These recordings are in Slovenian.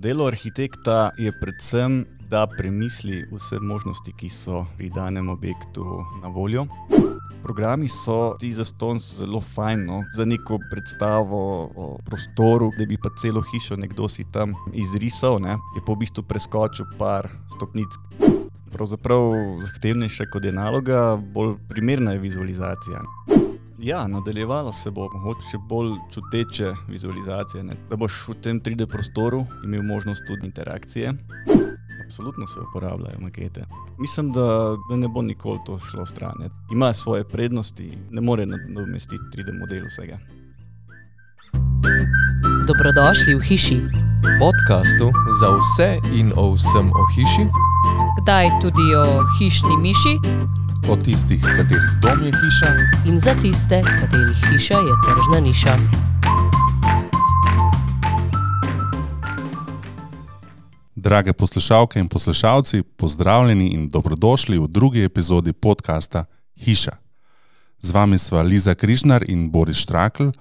Delo arhitekta je predvsem, da premisli vse možnosti, ki so pri danem objektu na voljo. Programi so ti zastonj zelo fajn, za neko predstavo o prostoru, da bi pa celo hišo nekdo si tam izrisal, je pa v bistvu preskočil par stopnic. Pravzaprav zahtevnejša kot je naloga, bolj primerna je vizualizacija. Ja, nadaljevalo se bo mogoče bolj čuteče vizualizacije, da boš v tem 3D prostoru imel možnost tudi interakcije. Absolutno se uporabljajo makete. Mislim, da ne bo nikoli to šlo stran. Ima svoje prednosti, ne more nadomestiti 3D model vsega. Dobrodošli v hiši. Podcastu za vse in o vsem o hiši. Kdaj tudi o hišni miši. O tistih, katerih dom je hiša. In za tiste, katerih hiša je tržna niša. Drage poslušalke in poslušalci, pozdravljeni in dobrodošli v drugi epizodi podcasta Hiša. Z vami sva Liza Križnar in Boris Štrakl,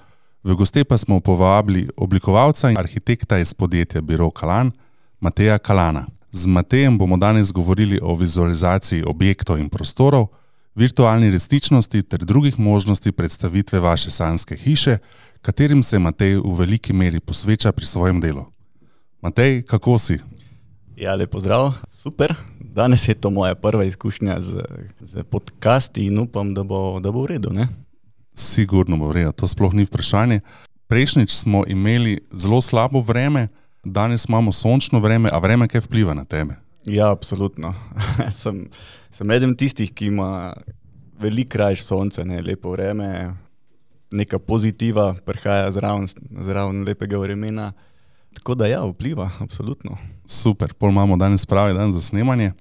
v goste pa smo povabili oblikovalca in arhitekta iz podjetja Biro Kalan, Mateja Kalana. Z Matejem bomo danes govorili o vizualizaciji objektov in prostorov, virtualni resničnosti ter drugih možnosti predstavitve vaše sanjske hiše, katerim se Matej v veliki meri posveča pri svojem delu. Matej, kako si? Ja, lep pozdrav, super. Danes je to moja prva izkušnja z podcasti in upam, da bo v redu, ne? Sigurno bo v redu, to sploh ni vprašanje. Prejšnjič smo imeli zelo slabo vreme, danes imamo sončno vreme, a vreme kaj vpliva na tebe? Ja, absolutno. Sem eden tistih, ki ima veliko rajš sonce, lepo vreme, neka pozitiva prihaja zraven lepega vremena. Tako da ja, vpliva, absolutno. Super, pol imamo danes pravi dan za snemanje.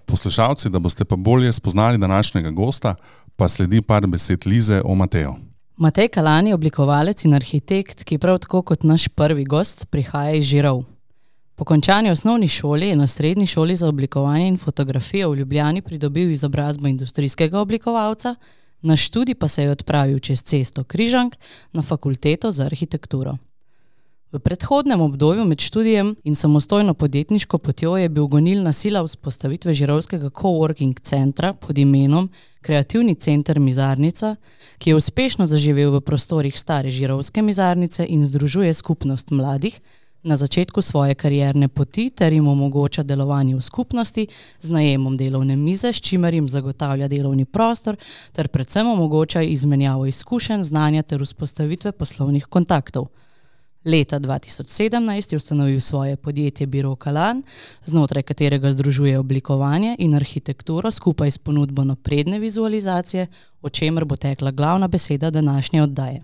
Poslušalci, da boste pa bolje spoznali današnjega gosta, pa sledi par besed Lize o Mateju. Matej Kalan je oblikovalec in arhitekt, ki prav tako kot naš prvi gost prihaja iz Žirov. Po končani osnovni šoli je na srednji šoli za oblikovanje in fotografijo v Ljubljani pridobil izobrazbo industrijskega oblikovalca, na študij pa se je odpravil čez cesto Križank na fakulteto za arhitekturo. V predhodnem obdobju med študijem in samostojno podjetniško potjo je bil gonilna sila vzpostavitve žirovskega coworking centra pod imenom Kreativni center Mizarnica, ki je uspešno zaživel v prostorih stare žirovske mizarnice in združuje skupnost mladih na začetku svoje karierne poti ter jim omogoča delovanje v skupnosti z najemom delovne mize, s čimer jim zagotavlja delovni prostor ter predvsem omogoča izmenjavo izkušenj, znanja ter vzpostavitve poslovnih kontaktov. Leta 2017 je ustanovil svoje podjetje Biro Kalan, znotraj katerega združuje oblikovanje in arhitekturo skupaj s ponudbo napredne vizualizacije, o čemer bo tekla glavna beseda današnje oddaje.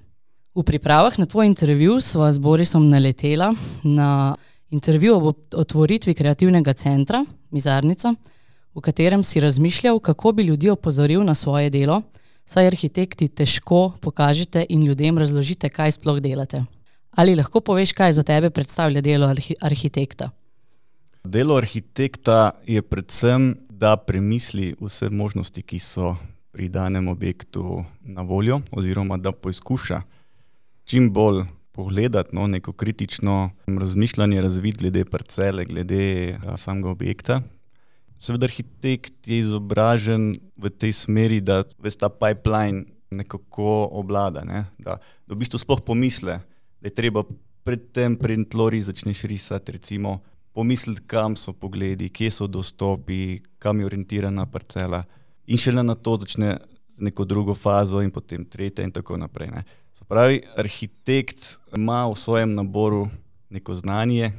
V pripravah na tvoj intervju sva z Borisom naletela na intervju o otvoritvi kreativnega centra Mizarnica, v katerem si razmišljal, kako bi ljudi opozoril na svoje delo, saj arhitekti težko pokažete in ljudem razložite, kaj sploh delate. Ali lahko poveš, kaj za tebe predstavlja delo arhitekta? Delo arhitekta je predvsem, da premisli vse možnosti, ki so pri danem objektu na voljo, oziroma da poizkuša čim bolj pogledati neko kritično razmišljanje, razvid glede parcele, glede samega objekta. Seveda arhitekt je izobražen v tej smeri, da ves ta pipeline nekako obvlada, da v bistvu sploh pomisle, da je treba predtem tlori začneš risati, recimo pomisliti, kam so pogledi, kje so dostopi, kam je orientirana parcela in šele na to začne z neko drugo fazo in potem tretja in tako naprej. Se pravi, arhitekt ima v svojem naboru neko znanje,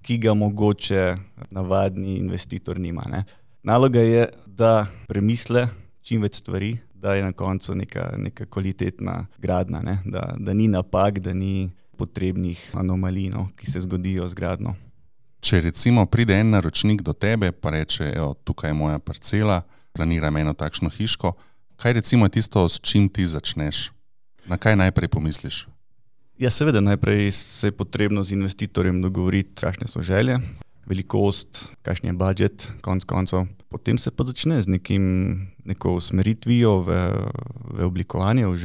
ki ga mogoče navadni investitor nima. Naloga je, da premisle čim več stvari, da je na koncu neka kvalitetna gradnja, da ni napak, da ni potrebnih anomalij, ki se zgodijo z gradnjo. Če recimo pride en naročnik do tebe, pa reče, evo, tukaj je moja parcela, planiram eno takšno hiško, kaj recimo je tisto, s čim ti začneš? Na kaj najprej pomisliš? Ja, seveda, najprej se je potrebno z investitorjem dogovoriti, kakšne so želje, velikost, kakšen je budžet, konc koncev. Potem se pa začne z neko usmeritvijo v oblikovanje, v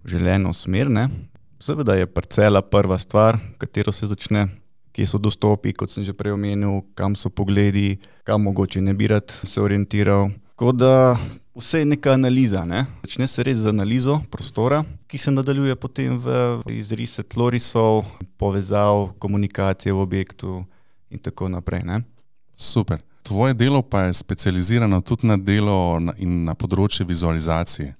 želeno smer. Seveda je parcela prva stvar, katero se začne, kje so dostopi, kot sem že prej omenil, kam so pogledi, kam mogoče ne bi rad se orientiral. Tako da vse je neka analiza, ne? Začne se res z analizo prostora, ki se nadaljuje potem v izrise tlorisov, povezav, komunikacije v objektu in tako naprej, ne? Super. Tvoje delo pa je specializirano tudi na delo in na področje vizualizacije.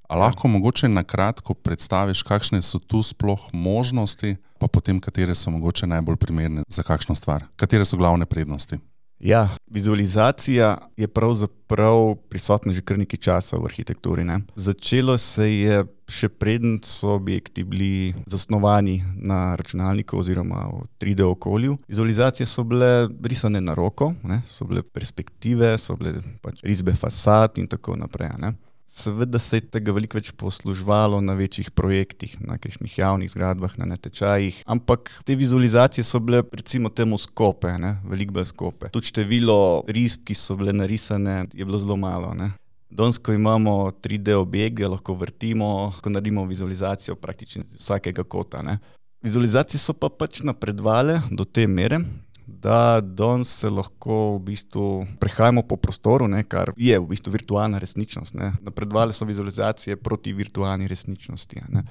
A lahko mogoče na kratko predstaviš, kakšne so tu sploh možnosti, pa potem katere so mogoče najbolj primerne za kakšno stvar? Katere so glavne prednosti? Ja, vizualizacija je pravzaprav prisotna že kar nekaj časa v arhitekturi, ne? Začelo se je še preden so objekti bili zasnovani na računalniku oziroma v 3D okolju. Vizualizacije so bile risane na roko, ne? So bile perspektive, so bile pač risbe fasad in tako naprej, ne? Seveda se je tega veliko več posluževalo na večjih projektih, na kakšnih javnih zgradbah, na natečajih, ampak te vizualizacije so bile recimo temu skope, ne? Veliko bolj skope. Tudi število risb, ki so bile narisane, je bilo zelo malo, ne? Danes, ko imamo 3D objekt, ga lahko vrtimo, ko naredimo vizualizacijo praktično iz vsakega kota, ne? Vizualizacije so pa pač napredovale do te mere, da danes se lahko v bistvu prehajamo po prostoru, ne, kar je v bistvu virtualna resničnost, ne. Napredovale so vizualizacije proti virtualni resničnosti, ne.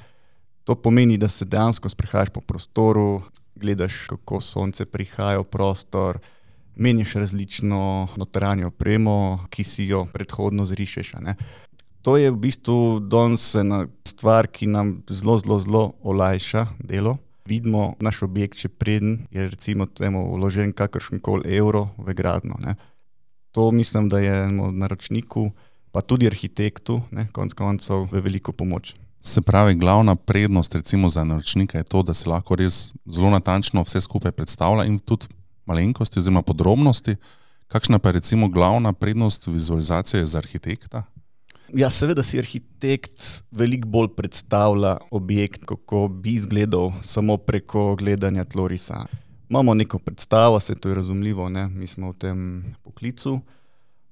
To pomeni, da se dejansko sprehajaš po prostoru, gledaš, kako sonce prihaja v prostor, meniš različno notranjo opremo, ki si jo predhodno zrišeš, ne. To je v bistvu danes ena stvar, ki nam zelo olajša delo. Vidimo naš objekt, če preden je recimo temu vložen kakršenkoli evro v gradnjo, ne. To mislim, da je naročniku, pa tudi arhitektu, ne, konec koncev v veliko pomoč. Se pravi, glavna prednost recimo za naročnika je to, da se lahko res zelo natančno vse skupaj predstavlja in tudi malenkosti oziroma podrobnosti. Kakšna pa je recimo glavna prednost vizualizacije za arhitekta? Ja, seveda si arhitekt veliko bolj predstavlja objekt, kako bi izgledal samo preko gledanja tlorisa. Imamo neko predstavo, se to je razumljivo, ne? Mi smo v tem poklicu,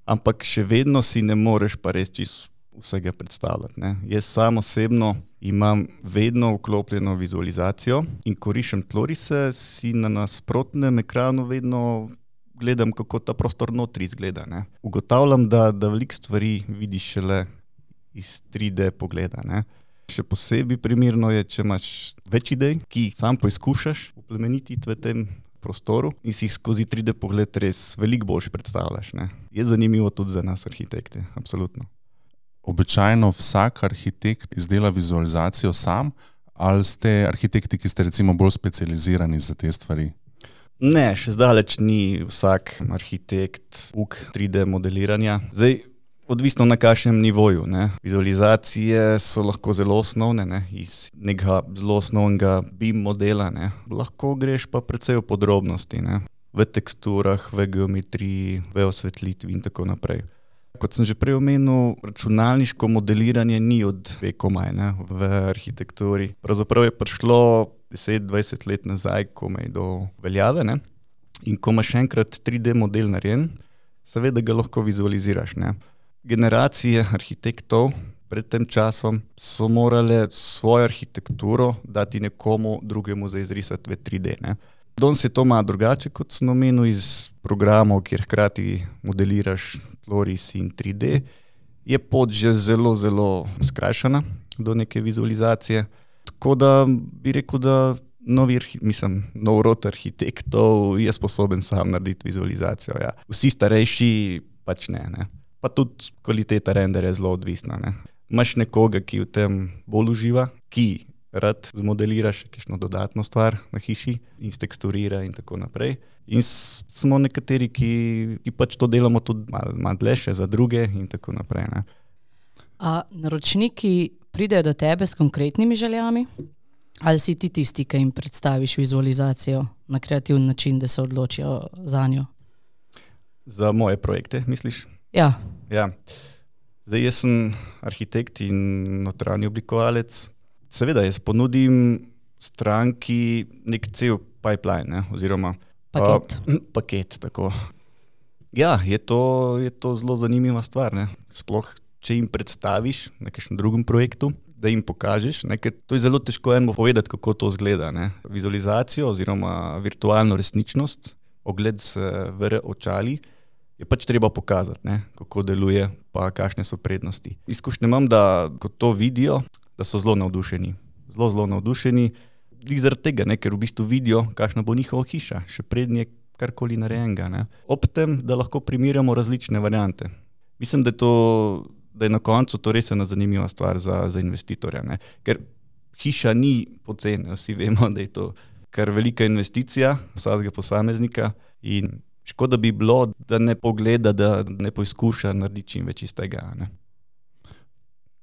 ampak še vedno si ne moreš pa res čisto vsega predstavljati, ne? Jaz sam osebno imam vedno vklopljeno vizualizacijo in ko rišem tlorise, si na nasprotnem ekranu vedno gledam, kako ta prostor notri izgleda, ne. Ugotavljam, da veliko stvari vidiš šele iz 3D pogleda, ne. Še posebej primerno je, če imaš več idej, ki jih sam poizkušaš oplemenititi v tem prostoru in si jih skozi 3D pogled res veliko boljše predstavljaš, ne. Je zanimivo tudi za nas arhitekte, absolutno. Običajno vsak arhitekt izdela vizualizacijo sam, ali ste arhitekti, ki ste recimo bolj specializirani za te stvari? Ne, še zdaleč ni vsak arhitekt uk 3D modeliranja. Zdaj, odvisno na kakšnem nivoju, ne. Vizualizacije so lahko zelo osnovne, ne, iz nekega zelo osnovnega BIM modela, ne. Lahko greš pa precej v podrobnosti, ne. V teksturah, v geometriji, v osvetlitvi in tako naprej. Kot sem že prej omenil, računalniško modeliranje ni od vekomaj, ne, v arhitekturi. Pravzaprav je prišlo 10-20 let nazaj komaj do veljave, ne. In ko imaš enkrat 3D model narejen, seveda ga lahko vizualiziraš, ne. Generacije arhitektov pred tem časom so morale svojo arhitekturo dati nekomu drugemu za izrisati v 3D, ne. Danes je to malo drugače, kot sem omenil, iz programov, kjer hkrati modeliraš tloris in 3D, je pot že zelo skrajšana do neke vizualizacije. Tako da bi rekel, da nov rod arhitektov je sposoben sam narediti vizualizacijo, ja. Vsi starejši pač ne. Pa tudi kvaliteta renderja je zelo odvisna, ne. Imaš nekoga, ki v tem bolj uživa, ki rad zmodeliraš kakšno dodatno stvar na hiši in steksturira in tako naprej. In smo nekateri, ki pač to delamo tudi malo dlje še za druge in tako naprej, ne. A naročniki pridejo do tebe s konkretnimi željami? Ali si ti tisti, ki jim predstaviš vizualizacijo na kreativen način, da se odločijo zanjo? Za moje projekte, misliš? Ja. Ja. Zdaj, jaz sem arhitekt in notranji oblikovalec. Seveda, jaz ponudim stranki nek cel pipeline, ne, oziroma paket, tako. Ja, je to zelo zanimiva stvar, ne. Sploh, če jim predstaviš na kakšnem drugem projektu, da jim pokažeš, ne? Ker to je zelo težko enemu povedati, kako to izgleda. Ne? Vizualizacijo oziroma virtualno resničnost, ogled z VR očali, je pač treba pokazati, ne? Kako deluje, pa kakšne so prednosti. Izkušnje imam, da ko to vidijo, da so zelo navdušeni. Zelo navdušeni, zaradi tega, ne? Ker v bistvu vidijo, kakšna bo njihova hiša, še prednje karkoli narejenega. Ne? Ob tem, da lahko primerjamo različne variante. Mislim, da je na koncu to res ena zanimiva stvar za investitorja. Ne? Ker hiša ni poceni, vsi vemo, da je to kar velika investicija vsakega posameznika in škoda bi bilo, da ne pogleda, da ne poizkuša narediti čim več iz tega. Ne?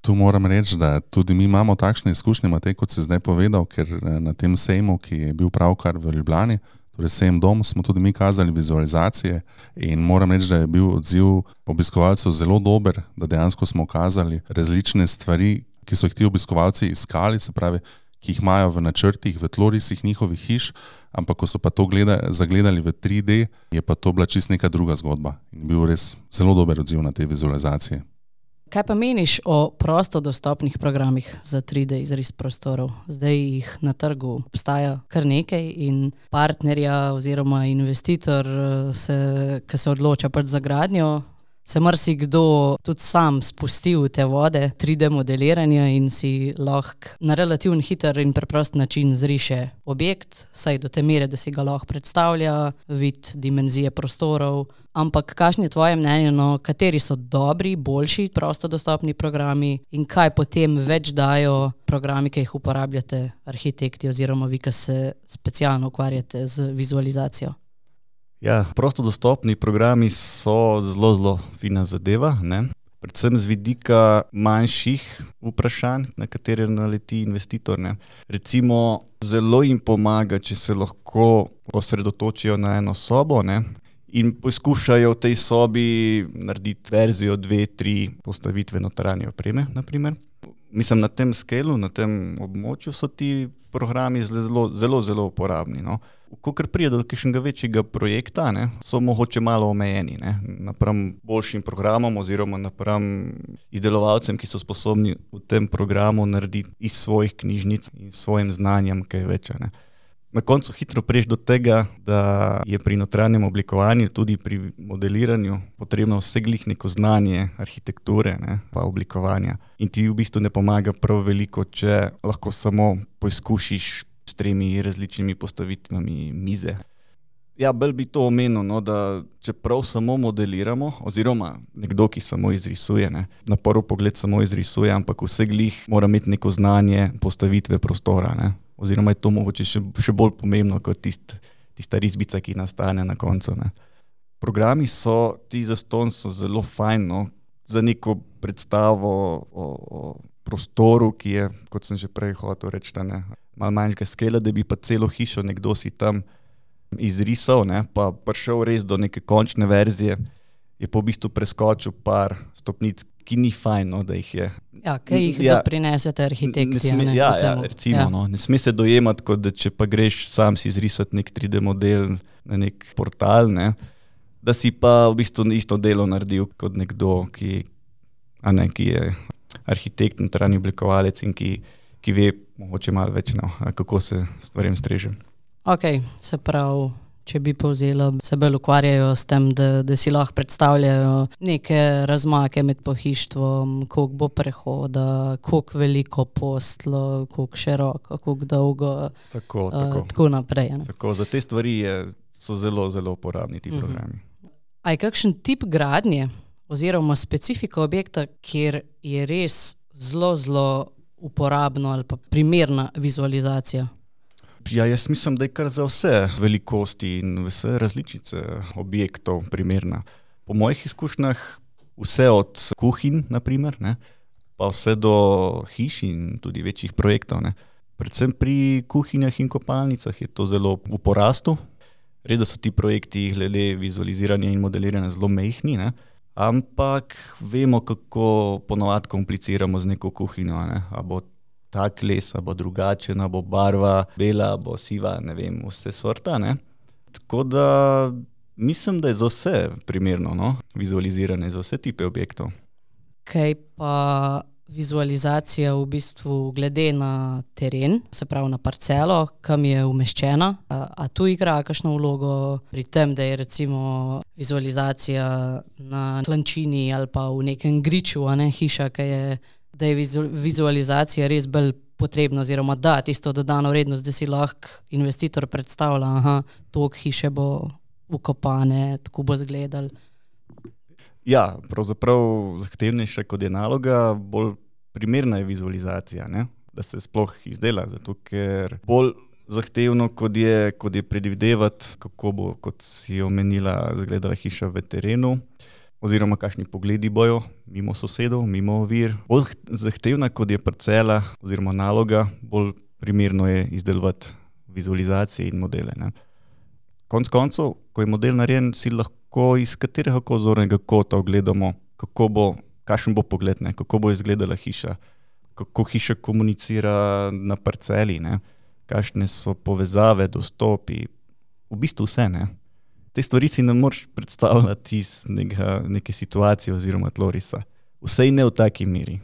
Tu moram reči, da tudi mi imamo takšne izkušnje, Matej, kot si zdaj povedal, ker na tem sejmu, ki je bil pravkar v Ljubljani, torej sejem Dom, smo tudi mi kazali vizualizacije in moram reči, da je bil odziv obiskovalcev zelo dober, da dejansko smo kazali različne stvari, ki so jih ti obiskovalci iskali, se pravi, ki jih imajo v načrtih, v tlorisih njihovih hiš, ampak ko so pa to zagledali v 3D, je pa to bila čist neka druga zgodba in bil res zelo dober odziv na te vizualizacije. Kaj pa meniš o prosto dostopnih programih za 3D izris prostorov? Zdaj jih na trgu obstaja kar nekaj in partnerja oziroma investitor, ki se odloča pač za gradnjo, se marsikdo tudi sam spusti v te vode 3D modeliranja in si lahko na relativno hiter in preprost način zriše objekt, saj do te mere, da si ga lahko predstavlja, vid, dimenzije prostorov. Ampak kakšno je tvoje mnenje, kateri so dobri, boljši prosto dostopni programi in kaj potem več dajo programi, ki jih uporabljate arhitekti oziroma vi, ki se specialno ukvarjate z vizualizacijo? Ja, prosto dostopni programi so zelo fina zadeva, ne? Predvsem z vidika manjših vprašanj, na katere naleti investitor. Ne? Recimo, zelo jim pomaga, če se lahko osredotočijo na eno sobo, ne? In poskušajo v tej sobi narediti verzijo 2-3 postavitve notranje opreme, naprimer. Mislim, na tem skelu, na tem območju so ti programi zelo uporabni. No. Kakor prije do kakšnega večjega projekta, ne, so mogoče malo omejeni, ne, napram boljšim programom oziroma napram izdelovalcem, ki so sposobni v tem programu narediti iz svojih knjižnic in svojim znanjem kaj več. Ne. Na koncu hitro priješ do tega, da je pri notranjem oblikovanju, tudi pri modeliranju potrebno vseglih neko znanje arhitekture, ne, pa oblikovanja. In ti v bistvu ne pomaga prav veliko, če lahko samo poizkušiš s 3 različnimi postavitvami mize. Ja, bolj bi to omenil, no, da čeprav samo modeliramo, oziroma nekdo, ki samo izrisuje, ne, na prvi pogled samo izrisuje, ampak vseglih mora imeti neko znanje postavitve prostora, ne. Oziroma je to mogoče še bolj pomembno kot tista risbica, ki nastane na koncu. Ne. Programi ti zastonj so zelo fajn, no, za neko predstavo o prostoru, ki je, kot sem že prej hotel reči, malo manjšega skela, da bi pa celo hišo nekdo si tam izrisal, ne, pa prišel res do neke končne verzije, je po v bistvu preskočil par stopnic, ki ni fajn, no, da jih je. Ja, kaj jih doprinesete arhitekti. Recimo, no, ne sme se dojemati, kot da če pa greš sam si izrisati nek 3D model na nek portal, ne, da si pa v bistvu isto delo naredil kot nekdo, ki je arhitekt, notranji oblikovalec in ki ve mogoče malo več, no, kako se stvarem streže. Ok, se pravi, če bi povzela, se bolj ukvarjajo s tem, da si lahko predstavljajo neke razmake med pohištvom, koliko bo prehoda, koliko veliko postlo, koliko široko, koliko dolgo, tako naprej. Ne? Tako, za te stvari so zelo uporabni ti programi. A je kakšen tip gradnje oziroma specifika objekta, kjer je res zelo uporabno ali pa primerna vizualizacija? Ja, jaz mislim, da je kar za vse velikosti in vse različice objektov primerna. Po mojih izkušnjah vse od kuhinj, naprimer, ne, pa vse do hiš in tudi večjih projektov. Ne. Predvsem pri kuhinjah in kopalnicah je to zelo v porastu. Res, da so ti projekti glede vizualiziranja in modeliranja zelo majhni, ne. Ampak vemo, kako ponovadi kompliciramo z neko kuhinjo. Ne. A bo tak les, a bo drugačen, a bo barva bela, a bo siva, ne vem, vse sorta. Ne. Tako da mislim, da je za vse primerno, no, vizualiziranje, za vse tipe objektov. Kaj pa vizualizacija v bistvu glede na teren, se pravi na parcelo, kam je umeščena. A tu igra kakšno vlogo pri tem, da je recimo vizualizacija na klančini ali pa v nekem griču, a ne hiša, da je vizualizacija res bolj potrebna oziroma da tisto dodano vrednost, da si lahko investitor predstavlja, toliko hiše bo ukopane, tako bo izgledal. Ja, pravzaprav zahtevnejša kot je naloga, bolj primerna je vizualizacija, ne? Da se sploh izdela, zato ker bolj zahtevno, kot je predvidevati, kako bo, kot si omenila, izgledala hiša v terenu, oziroma kakšni pogledi bojo mimo sosedov, mimo ovir. Bolj zahtevna, kot je parcela oziroma naloga, bolj primerno je izdelovati vizualizacije in modele, ne? Konec koncev, ko je model narejen, si lahko iz katerega zornega kota ogledamo, kakšen bo pogled, ne? Kako bo izgledala hiša, kako hiša komunicira na parceli, ne? Kakšne so povezave, dostopi, v bistvu vse, ne? Te stvari si ne moreš predstavljati iz neke situacije oziroma tlorisa. Vsej ne v taki meri.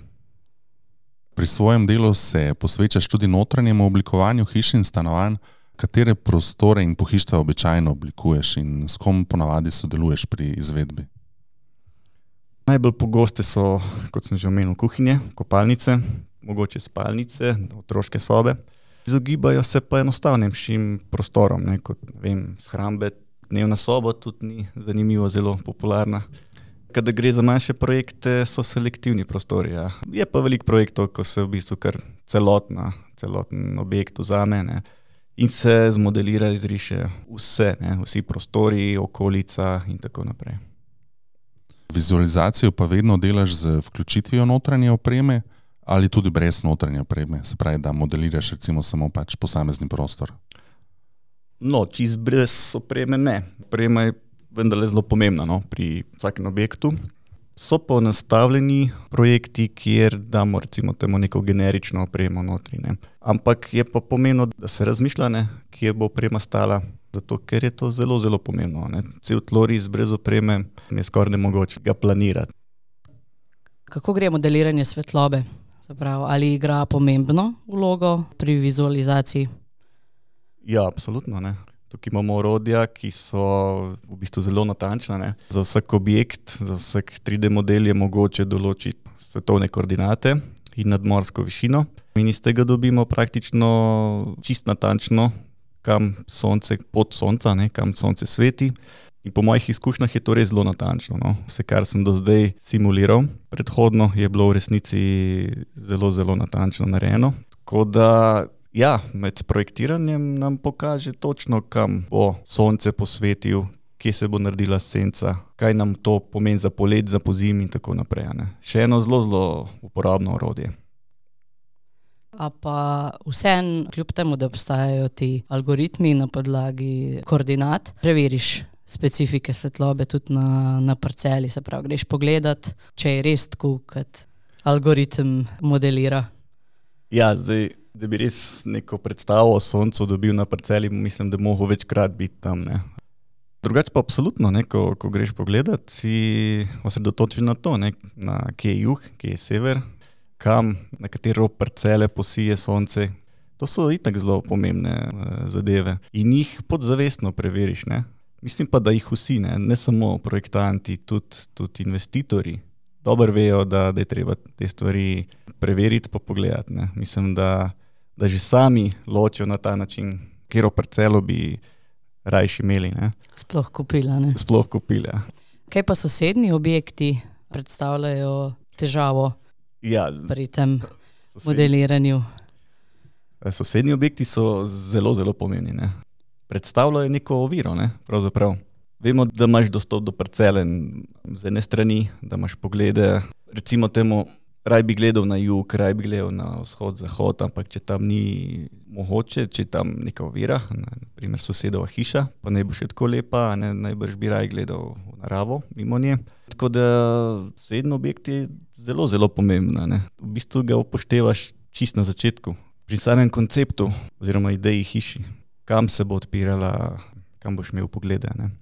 Pri svojem delu se posvečaš tudi notranjemu oblikovanju hiš in stanovanj. Katere prostore in pohištva običajno oblikuješ in s kom ponavadi sodeluješ pri izvedbi? Najbolj pogoste so, kot sem že omenil, kuhinje, kopalnice, mogoče spalnice, otroške sobe. Izogibajo se pa enostavnejšim prostorom, ne, kot shrambe. Dnevna soba tudi ni zanimivo, zelo popularna. Kada gre za manjše projekte, so selektivni prostori. Ja. Je pa veliko projektov, ko se v bistvu kar celoten objekt vzame, ne, in se zmodelira, izriše vse, ne, vsi prostori, okolica in tako naprej. Vizualizacijo pa vedno delaš z vključitvijo notranje opreme ali tudi brez notranje opreme, se pravi, da modeliraš recimo samo posamezni prostor? No, čist brez opreme ne. Oprema je vendarle zelo pomembna, no, pri vsakem objektu. So pa nastavljeni projekti, kjer damo recimo temu neko generično opremo notri, ne. Ampak je pa pomembno, da se razmišlja, ne, kje bo oprema stala, zato ker je to zelo, zelo pomembno, ne. Cel tloris brez opreme je skoraj nemogoče ga planirati. Kako gre modeliranje svetlobe? Se pravi, ali igra pomembno vlogo pri vizualizaciji? Ja, absolutno, ne. Tukaj imamo orodja, ki so v bistvu zelo natančna, ne. Za vsak objekt, za vsak 3D model je mogoče določiti svetovne koordinate in nadmorsko višino. In iz tega dobimo praktično čist natančno, kam sonce, pot sonca, ne, kam sonce sveti. In po mojih izkušnjah je to res zelo natančno, no. Vse, kar sem do zdaj simuliral, predhodno je bilo v resnici zelo, zelo natančno narejeno. Tako da ja, med projektiranjem nam pokaže točno, kam bo sonce posvetil, kje se bo naredila senca, kaj nam to pomeni za polet, za pozimi in tako naprej, ne. Še eno zelo, zelo uporabno orodje. A pa vseeno, kljub temu, da obstajajo ti algoritmi na podlagi koordinat, preveriš specifike svetlobe tudi na parceli, se pravi, greš pogledat, če je res tako, kot algoritem modelira. Ja, zdaj, da bi res neko predstavo o soncu dobil na parceli, mislim, da mogo večkrat biti tam, ne. Drugače pa absolutno, ne, ko greš pogledat, si osredotočen na to, ne, na kje je jug, kje je sever, kam, na katero parcele posije sonce. To so itak zelo pomembne zadeve in jih podzavestno preveriš, ne. Mislim pa, da jih vsi, ne samo projektanti, tudi investitorji dobro vejo, da je treba te stvari preveriti pa pogledati, ne. Mislim, da že sami ločijo na ta način, katero parcelo bi rajši imeli, ne. Sploh kupila, ne. Sploh kupila. Kaj pa sosednji objekti predstavljajo težavo pri tem modeliranju? Sosednji objekti so zelo, zelo pomembni, ne. Predstavljajo neko oviro, ne, pravzaprav. Vemo, da imaš dostop do parcele z ene strani, da imaš poglede, recimo temu, raj bi gledal na jug, raj bi gledal na vzhod, zahod, ampak če tam ni mogoče, če je tam neka ovira, na primer sosedova hiša, pa ne bo še tako lepa, ne, najbrž bi raj gledal v naravo mimo nje. Tako da sosednji objekt je zelo, zelo pomembna, ne. V bistvu ga upoštevaš čisto na začetku, pri samem konceptu oziroma ideji hiši, kam se bo odpirala, kam boš imel poglede, ne.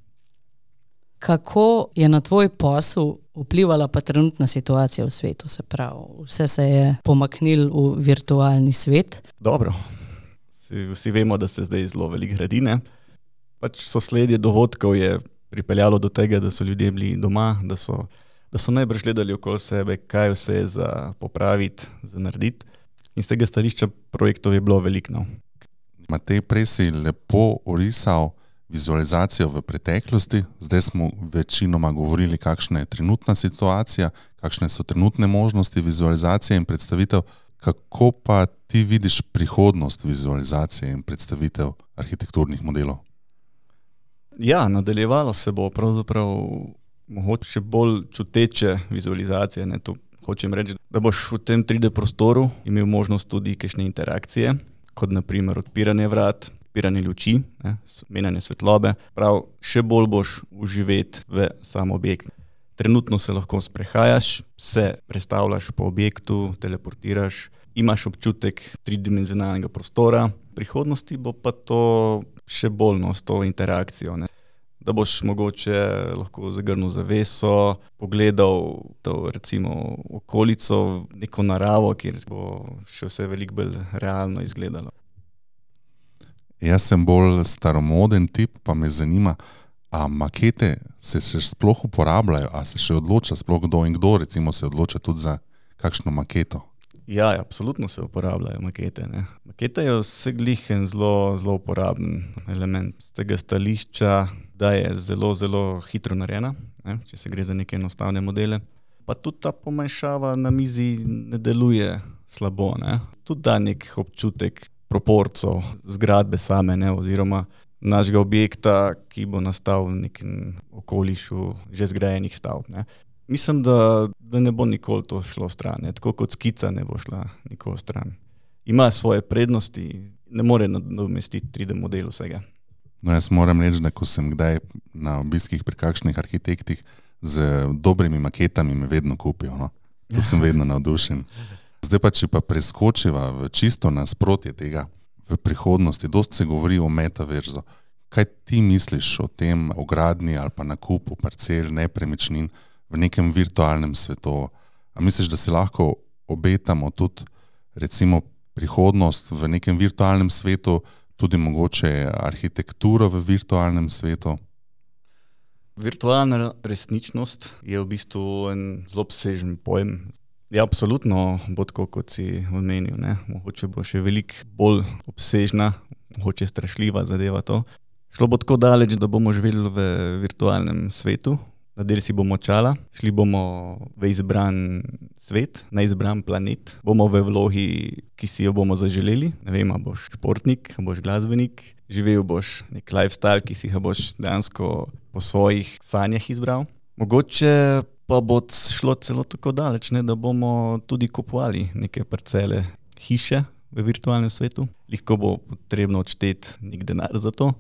Kako je na tvoj posel vplivala pa trenutna situacija v svetu? Se pravi, vse se je pomaknilo v virtualni svet. Dobro, vsi vemo, da se zdaj zelo veliko gradi, ne? Pač sosledje dogodkov je pripeljalo do tega, da so ljudje bili doma, da so najbrž gledali okoli sebe, kaj vse je za popraviti, za narediti. In z tega stališča projektov je bilo veliko. No. Matej, prej si lepo orisal vizualizacijo v preteklosti, zdaj smo večinoma govorili, kakšna je trenutna situacija, kakšne so trenutne možnosti vizualizacije in predstavitev. Kako pa ti vidiš prihodnost vizualizacije in predstavitev arhitekturnih modelov? Ja, nadaljevalo se bo pravzaprav mogoče bolj čuteče vizualizacije. Ne? To hočem reči, da boš v tem 3D prostoru imel možnost tudi kakšne interakcije, kot naprimer odpiranje vrat, odpiranje luči, menjanje svetlobe. Prav, še bolj boš uživeti v sam objekt. Trenutno se lahko sprehajaš, se prestavljaš po objektu, teleportiraš, imaš občutek tridimenzionalnega prostora. V prihodnosti bo pa to še bolj s to interakcijo. Ne? Da boš mogoče lahko zagrnil zaveso, pogledal to recimo okolico, neko naravo, kjer bo še vse veliko bolj realno izgledalo. Jaz sem bolj staromoden tip, pa me zanima, a makete se še sploh uporabljajo, a se še odloča sploh kdo in kdo recimo se odloča tudi za kakšno maketo? Ja, absolutno se uporabljajo makete. Ne. Maketa je vseglih en zelo uporaben element. Z tega stališča, da je zelo hitro narejena, ne, če se gre za neke enostavne modele. Pa tudi ta pomanjšava na mizi ne deluje slabo. Ne. Tudi da nek občutek proporcov zgradbe same, ne, oziroma našega objekta, ki bo nastal v nekem okolišu že zgrajenih stavb. Ne. Mislim, da ne bo nikoli to šlo stran, ne. Tako kot skica ne bo šla nikoli stran. Ima svoje prednosti, ne more nadomestiti 3D model vsega. No, jaz moram reči, da ko sem kdaj na obiskih pri kakšnih arhitektih z dobrimi maketami me vedno kupijo. No. To sem vedno navdušen. Zdaj pa, če pa preskočiva v čisto nasprotje tega v prihodnosti, dosti se govori o metaverzu. Kaj ti misliš o tem, o gradnji ali pa nakupu parcel, nepremičnin v nekem virtualnem svetu? A misliš, da si lahko obetamo tudi recimo prihodnost v nekem virtualnem svetu, tudi mogoče arhitekturo v virtualnem svetu? Virtualna resničnost je v bistvu en zelo obsežen pojem. Ja, absolutno bo tako, kot si omenil. Ne? Mogoče bo še veliko bolj obsežna, mogoče strašljiva zadeva to. Šlo bo tako daleč, da bomo živeli v virtualnem svetu, nadeli si bomo čala, šli bomo v izbran svet, na izbran planet, bomo v vlogi, ki si jo bomo zaželeli. Ne vem, a boš športnik, a boš glasbenik, živel boš nek lifestyle, ki si ga boš dejansko po svojih sanjah izbral. Mogoče pa bo šlo celo tako daleč, ne, da bomo tudi kupovali neke parcele, hiše v virtualnem svetu. Lahko bo potrebno odšteti nek denar za to.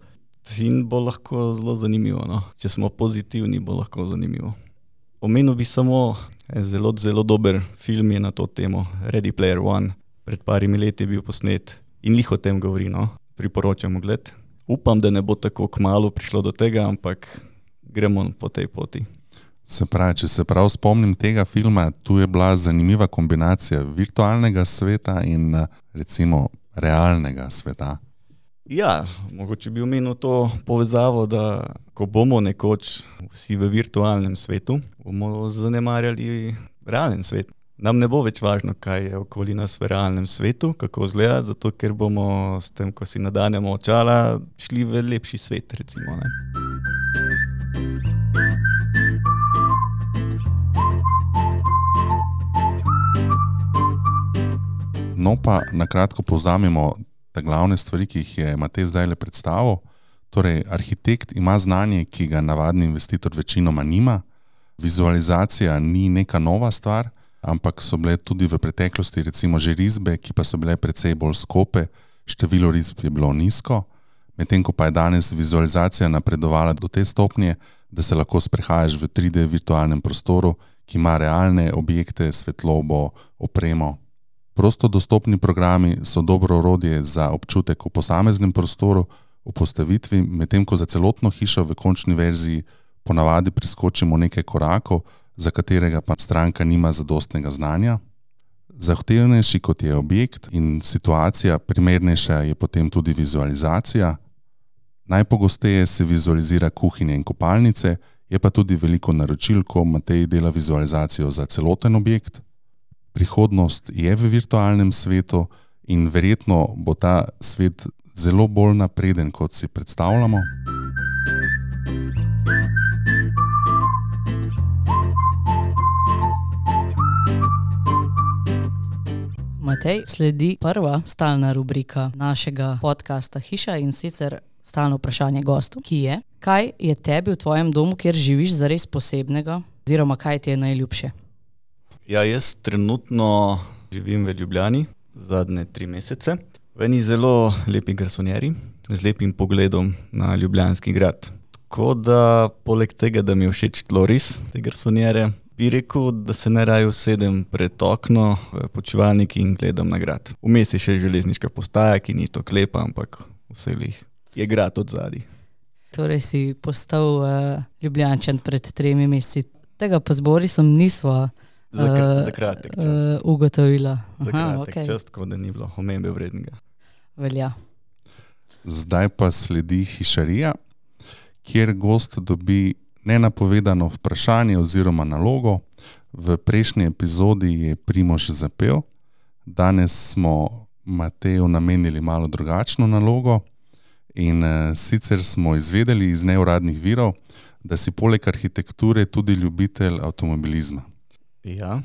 In bo lahko zelo zanimivo. No. Če smo pozitivni, bo lahko zanimivo. Omenil bi samo zelo dober film je na to temo, Ready Player One. Pred parimi leti je bil posnet in o tem govori. No. Priporočam ogled. Upam, da ne bo tako kmalu prišlo do tega, ampak gremo po tej poti. Se pravi, če se prav spomnim tega filma, tu je bila zanimiva kombinacija virtualnega sveta in recimo realnega sveta. Ja, mogoče bi omenil to povezavo, da ko bomo nekoč vsi v virtualnem svetu, bomo zanemarjali realen svet. Nam ne bo več važno, kaj je okoli nas v realnem svetu, kako izgleda, zato ker bomo s tem, ko si nadanemo očala, šli v lepši svet, recimo. Ne? No pa nakratko povzamemo te glavne stvari, ki jih je Matej zdajle predstavil. Torej, arhitekt ima znanje, ki ga navadni investitor večinoma nima. Vizualizacija ni neka nova stvar, ampak so bile tudi v preteklosti recimo že risbe, ki pa so bile precej bolj skope, število risb je bilo nizko, medtem ko pa je danes vizualizacija napredovala do te stopnje, da se lahko sprehajaš v 3D virtualnem prostoru, ki ima realne objekte, svetlobo, opremo. Prosto dostopni programi so dobro orodje za občutek v posameznem prostoru, v postavitvi, medtem ko za celotno hišo v končni verziji ponavadi priskočimo nekaj korakov, za katerega pa stranka nima zadostnega znanja. Zahtevnejši kot je objekt in situacija, primernejša je potem tudi vizualizacija. Najpogosteje se vizualizira kuhinje in kopalnice, je pa tudi veliko naročil, ko Matej dela vizualizacijo za celoten objekt. Prihodnost je v virtualnem svetu in verjetno bo ta svet zelo bolj napreden, kot si predstavljamo. Matej, sledi prva stalna rubrika našega podcasta Hiša in sicer stalno vprašanje gostu, ki je: kaj je tebi v tvojem domu, kjer živiš, zares posebnega, oziroma kaj ti je najljubše? Ja, jaz trenutno živim v Ljubljani zadnje 3 mesece. V eni zelo lepi garsonjeri z lepim pogledom na Ljubljanski grad. Tako da, poleg tega, da mi je všeč tloris te garsonjere, bi rekel, da se najraje usedem pred okno v počivalnik in gledam na grad. Vmes je še železniška postaja, ki ni to klepa, ampak vselih je grad od zadaj. Torej si postal Ljubljančan pred 3 meseci. Tega pa z Borisom nisva Za kratek čas. ugotovila. Za kratek čas, tako da ni bilo omembe vrednega. Velja. Zdaj pa sledi hišarija, kjer gost dobi nenapovedano vprašanje oziroma nalogo. V prejšnji epizodi je Primož zapel, danes smo Mateju namenili malo drugačno nalogo in sicer smo izvedeli iz neuradnih virov, da si poleg arhitekture tudi ljubitelj avtomobilizma. Ja.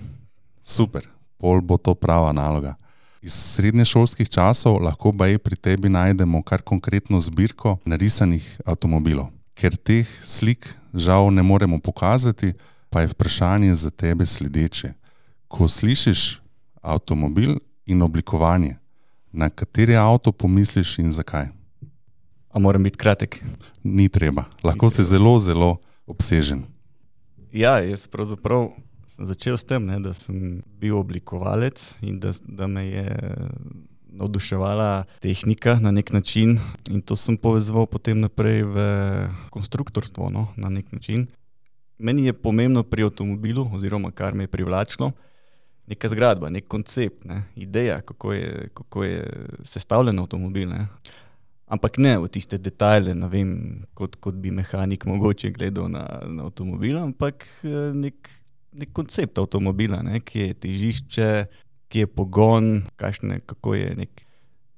Super, pol bo to prava naloga. Iz srednješolskih časov lahko baje pri tebi najdemo kar konkretno zbirko narisanih avtomobilov. Ker teh slik žal ne moremo pokazati, pa je vprašanje za tebe sledeče. Ko slišiš avtomobil in oblikovanje, na kateri avto pomisliš in zakaj? A moram biti kratek? Ni treba, lahko si zelo, zelo obsežen. Ja, jaz pravzaprav sem začel s tem, da sem bil oblikovalec in da me je navduševala tehnika na nek način in to sem povezoval potem naprej v konstruktorstvo, na nek način. Meni je pomembno pri avtomobilu, oziroma kar me je privlačilo, neka zgradba, nek koncept, ideja, kako je sestavljen avtomobil. Ampak ne v tiste detajle, ne vem, kot bi mehanik mogoče gledal na avtomobil, ampak nek koncept avtomobila, kje je težišče, kje je pogon, kako je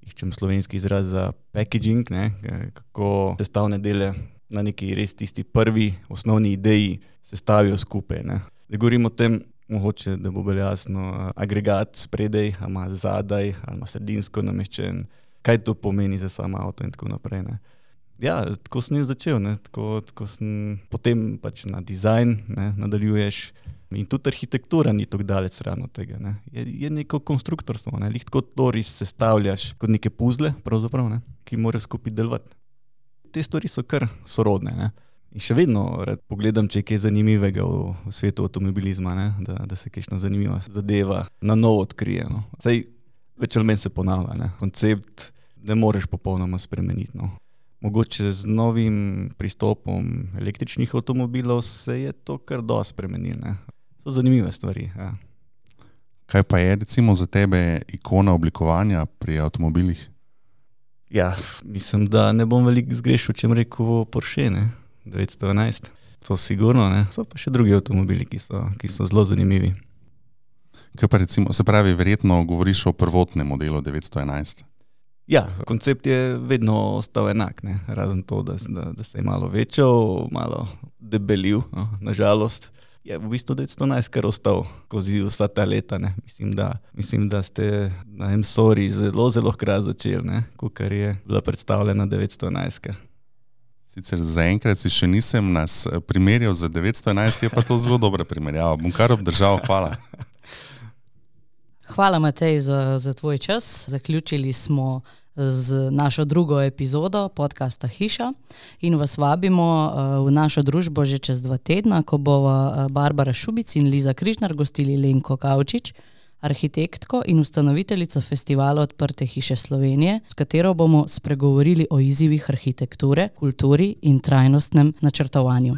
iščem slovenski izraz za packaging, kako sestavne dele na neki res tisti prvi osnovni ideji sestavijo skupaj. Da govorimo o tem, mogoče, da bo bolj jasno, agregat spredaj, ali ima zadaj, ali ima sredinsko nameščen, kaj to pomeni za sam avto in tako naprej. Ja, tako sem jaz začel, tako sem potem pač na dizajn nadaljuješ. In tudi arhitektura ni tako daleč stran od tega. Je neko konstruktorstvo, lih tako tloris sestavljaš kot neke puzle, pravzaprav, ki morajo skupaj delovati. Te stvari so kar sorodne. In še vedno rad pogledam, če je kaj zanimivega v svetu avtomobilizma, da se kakšna zanimiva zadeva na novo odkrije. Saj več ali manj se ponavlja. Koncept ne moreš popolnoma spremeniti. Mogoče z novim pristopom električnih avtomobilov se je to kar dosti spremenilo. So zanimive stvari. Ja. Kaj pa je recimo za tebe ikona oblikovanja pri avtomobilih? Ja, mislim, da ne bom veliko zgrešil, če bom rekel Porsche, 911. To sigurno, So pa še drugi avtomobili, ki so zelo zanimivi. Kaj pa recimo, se pravi, verjetno govoriš o prvotnem modelu 911? Ja, koncept je vedno ostal enak, razen to, da se je malo večal, malo debelil, nažalost. Je v bistvu 911 kar ostal skozi vsa ta leta. Mislim, da ste na M-Sori zelo, zelo hkrat začeli, kakor je bila predstavljena 911. Sicer zaenkrat si še nisem nas primerjal z 911, je pa to zelo dobra primerjava. Bom kar obdržal, hvala. Hvala, Matej, za tvoj čas. Zaključili smo z našo drugo epizodo podcasta Hiša in vas vabimo v našo družbo že čez 2 tedna, ko bova Barbara Šubic in Liza Križnar gostili Lenko Kavčič, arhitektko in ustanoviteljico festivala Odprte hiše Slovenije, s katero bomo spregovorili o izzivih arhitekture, kulturi in trajnostnem načrtovanju.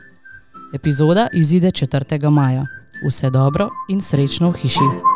Epizoda izide 4. maja. Vse dobro in srečno v hiši.